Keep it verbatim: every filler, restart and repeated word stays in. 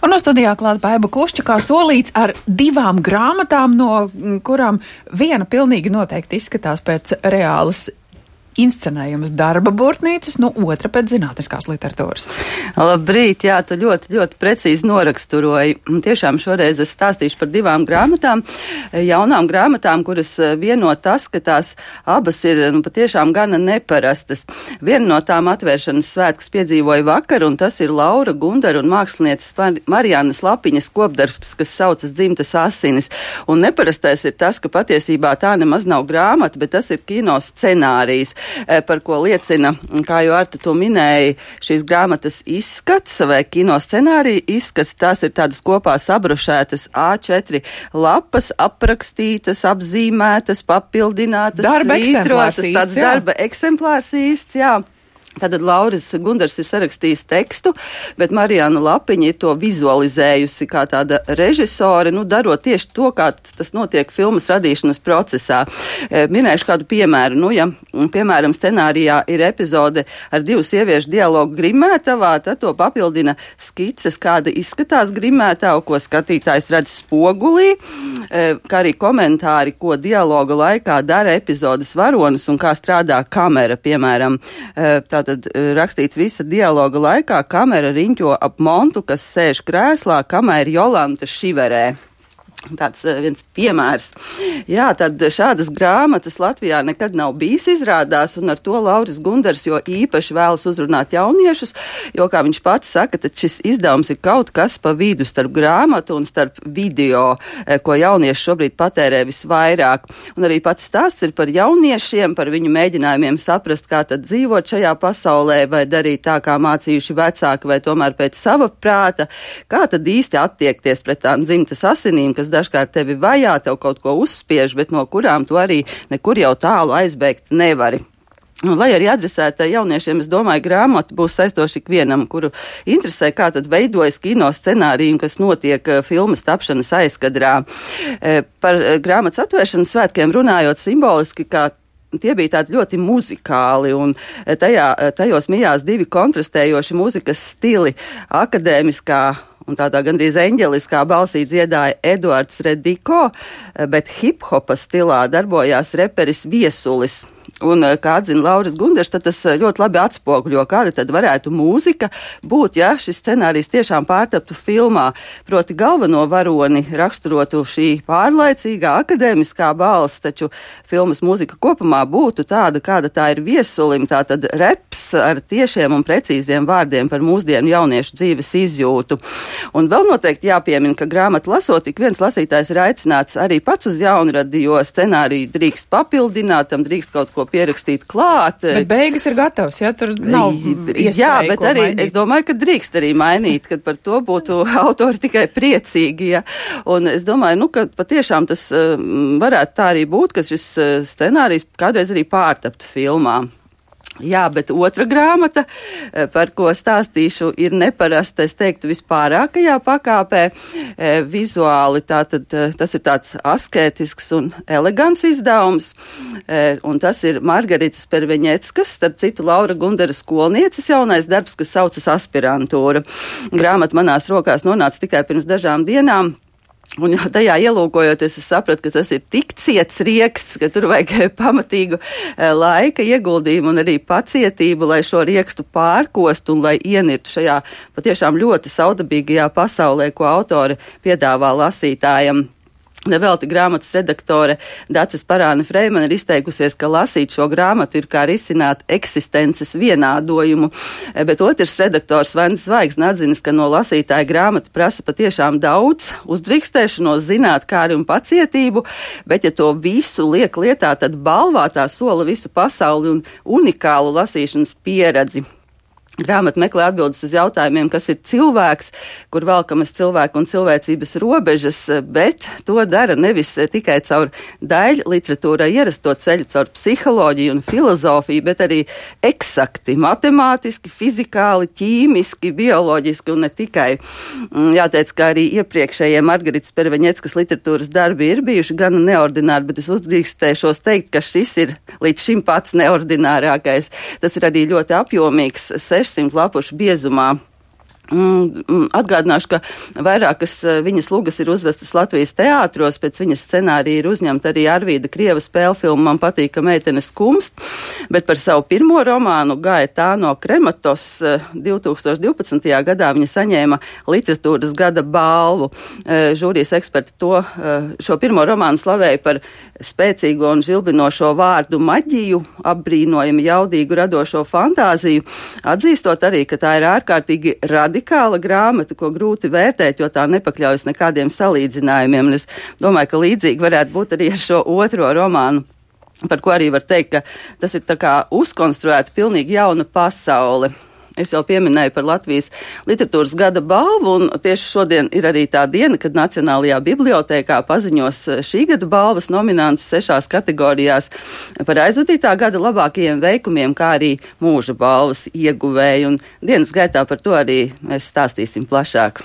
Un no studijā klāt Baiba Kušķa, kā solīts, ar divām grāmatām, no kurām viena pilnīgi noteikti izskatās pēc reālas inscenējumas darba burtnīcas, no otra pēc zinātniskās literatūras. Labrīt, jā, tu ļoti, ļoti precīzi noraksturoji. Tiešām šoreiz es stāstīšu par divām grāmatām, jaunām grāmatām, kuras vieno tas, ka tās abas ir, nu, patiešām gana neparastas. Viena no tām atvēršanas svētkus piedzīvoja vakar, un tas ir Laura Gundara un mākslinieces Mariannas Lapiņas kopdarbs, kas saucas Dzimtas asinis. Un neparastais ir tas, ka patiesībā tā nemaz nav grāmata, bet tas ir kino scenārijs, par ko liecina, kā jau Arta to minēja, šīs grāmatas izskats vai kino scenārija izskats. Tās ir tādas kopā sabrušētas A četri lapas, aprakstītas, apzīmētas, papildinātas, darba svītrotas, eksemplārs tāds īsts, jā. darba eksemplārs īsts, jā. Tātad Lauris Gundars ir sarakstījis tekstu, bet Marianna Lapiņa ir to vizualizējusi kā tāda režisore, nu, darot tieši to, kā tas notiek filmas radīšanas procesā. Minēšu kādu piemēru. Nu, ja, piemēram, scenārijā ir epizode ar divu sieviešu dialogu grimētavā, tad to papildina skices, kāda izskatās grimētava, ko skatītājs redz spogulī, kā arī komentāri, ko dialoga laikā dara epizodes varonis un kā strādā kamera, piemēram. Tā Tad rakstīts visa dialoga laikā, kamera riņķo ap Montu, kas sēž krēslā, kamēr Jolanta šiverē. Tāds viens piemērs. Jā, tad šādas grāmatas Latvijā nekad nav bijis izrādās, un ar to Lauris Gundars jo īpaši vēlas uzrunāt jauniešus, jo, kā viņš pats saka, tad šis izdevums ir kaut kas pa vidu starp grāmatu un starp video, ko jaunieši šobrīd patērē visvairāk. Un arī pats stāsts ir par jauniešiem, par viņu mēģinājumiem saprast, kā tad dzīvot šajā pasaulē, vai darīt tā, kā mācījuši vecāki, vai tomēr pēc sava prāta, kā tad īsti attiekties pret tām dzimtas asinīm, kas dažkārt tevi vajā, tev kaut ko uzspiež, bet no kurām tu arī nekur jau tālu aizbēgt nevari. Un, lai arī adresēta jauniešiem, es domāju, grāmata būs saistoši ikvienam, kuru interesē, kā tad veidojas kino scenāriju, kas notiek filmas tapšanas aizkadrā. Par grāmatas atvēršanas svētkiem runājot simboliski, kā tie bija tādi ļoti muzikāli, un tajā, tajos mijās divi kontrastējoši mūzikas stili, akadēmiskā un tādā gandrīz eņģeliskā balsī dziedāja Eduards Rediko, bet hip-hopa stilā darbojās reperis Viesulis. Un, kā atzina Lauris Gundars, tad tas ļoti labi atspoguļo, kāda tad varētu mūzika būt, ja šis scenārijs tiešām pārtaptu filmā. Proti galveno varoni raksturotu šī pārlaicīgā akadēmiskā balss, taču filmas mūzika kopumā būtu tāda, kāda tā ir Viesulim, tātad reps ar tiešiem un precīziem vārdiem par mūsdienu jauniešu dzīves izjūtu. Un vēl noteikti jāpiemina, ka grāmatu lasot, ik viens lasītājs ir aicināts arī pats uz jaunradi, jo scenāriju drīkst papildināt, tam drīkst kaut ko pierakstīt klāt. Bet beigas ir gatavs, ja tur nav iespēja. Jā, bet arī mainīt. Es domāju, ka drīkst arī mainīt, kad par to būtu autori tikai priecīgi. Ja. Un es domāju, nu, ka patiešām tas uh, varētu tā arī būt, ka šis uh, scenārijs kādreiz arī pārtaptu filmā. Jā, bet otra grāmata, par ko stāstīšu, ir neparasta, es teiktu, vispārākajā pakāpē. E, vizuāli tātad, tas ir tāds askētisks un elegants izdevums, e, un tas ir Margaritas Perveņeckas, starp citu Laura Gundara skolnieces jaunais darbs, kas saucas Aspirantūra. Grāmata manās rokās nonāca tikai pirms dažām dienām. Un tajā ielūkojoties, es sapratu, ka tas ir tik ciets rieksts, ka tur vajag pamatīgu laika ieguldījumu un arī pacietību, lai šo riekstu pārkostu un lai ienirtu šajā patiešām ļoti saudabīgajā pasaulē, ko autori piedāvā lasītājam. Nevelti grāmatas redaktore Daces Parāne Freimana ir izteikusies, ka lasīt šo grāmatu ir kā risināt eksistences vienādojumu, bet otrs redaktors Vens Zvaigzne atzinis, ka no lasītāja grāmata prasa patiešām daudz uzdrīkstēšanos, zinātkāri un pacietību, bet ja to visu liek lietā, tad balvā tā sola visu pasauli un unikālu lasīšanas pieredzi. Grāmata meklē atbildes uz jautājumiem, kas ir cilvēks, kur velkamas cilvēku un cilvēcības robežas, bet to dara nevis tikai caur daļu literatūrai ierasto ceļu, caur psiholoģiju un filozofiju, bet arī eksakti, matemātiski, fizikāli, ķīmiski, bioloģiski un ne tikai. Jāteic, ka arī iepriekšējie Margaritas Perveņeckas literatūras darbi ir bijuši gana neordināri, bet es uzdrīkstēšos teikt, ka šis ir līdz šim pats neordinārākais. Tas ir arī ļoti apjomīgs, sešsimt lapušu biezumā Atgādināšu, ka vairākas viņas lugas ir uzvestas Latvijas teātros, pēc viņas scenārija ir uzņemta arī Arvīda Krieva spēlfilma Man patīk, ka meitene skumst, bet par savu pirmo romānu Gaetāno Krematos divtūkstoš divpadsmitajā gadā viņa saņēma literatūras gada balvu. Žūrijas eksperti to, šo pirmo romānu slavēja par spēcīgo un žilbinošo vārdu maģiju, apbrīnojami jaudīgu radošo fantāziju, atzīstot arī, ka tā ir ārkārtīgi radikāla radikāla grāmata, ko grūti vērtēt, jo tā nepakļaujas nekādiem salīdzinājumiem. Un es domāju, ka līdzīgi varētu būt arī ar šo otro romānu, par ko arī var teikt, ka tas ir tā kā uzkonstruēta pilnīgi jauna pasaule. Es jau pieminēju par Latvijas literatūras gada balvu, un tieši šodien ir arī tā diena, kad Nacionālajā bibliotēkā paziņos šī gada balvas nominantus sešās kategorijās par aizvadītā gada labākajiem veikumiem, kā arī mūža balvas ieguvēju, un dienas gaitā par to arī mēs stāstīsim plašāk.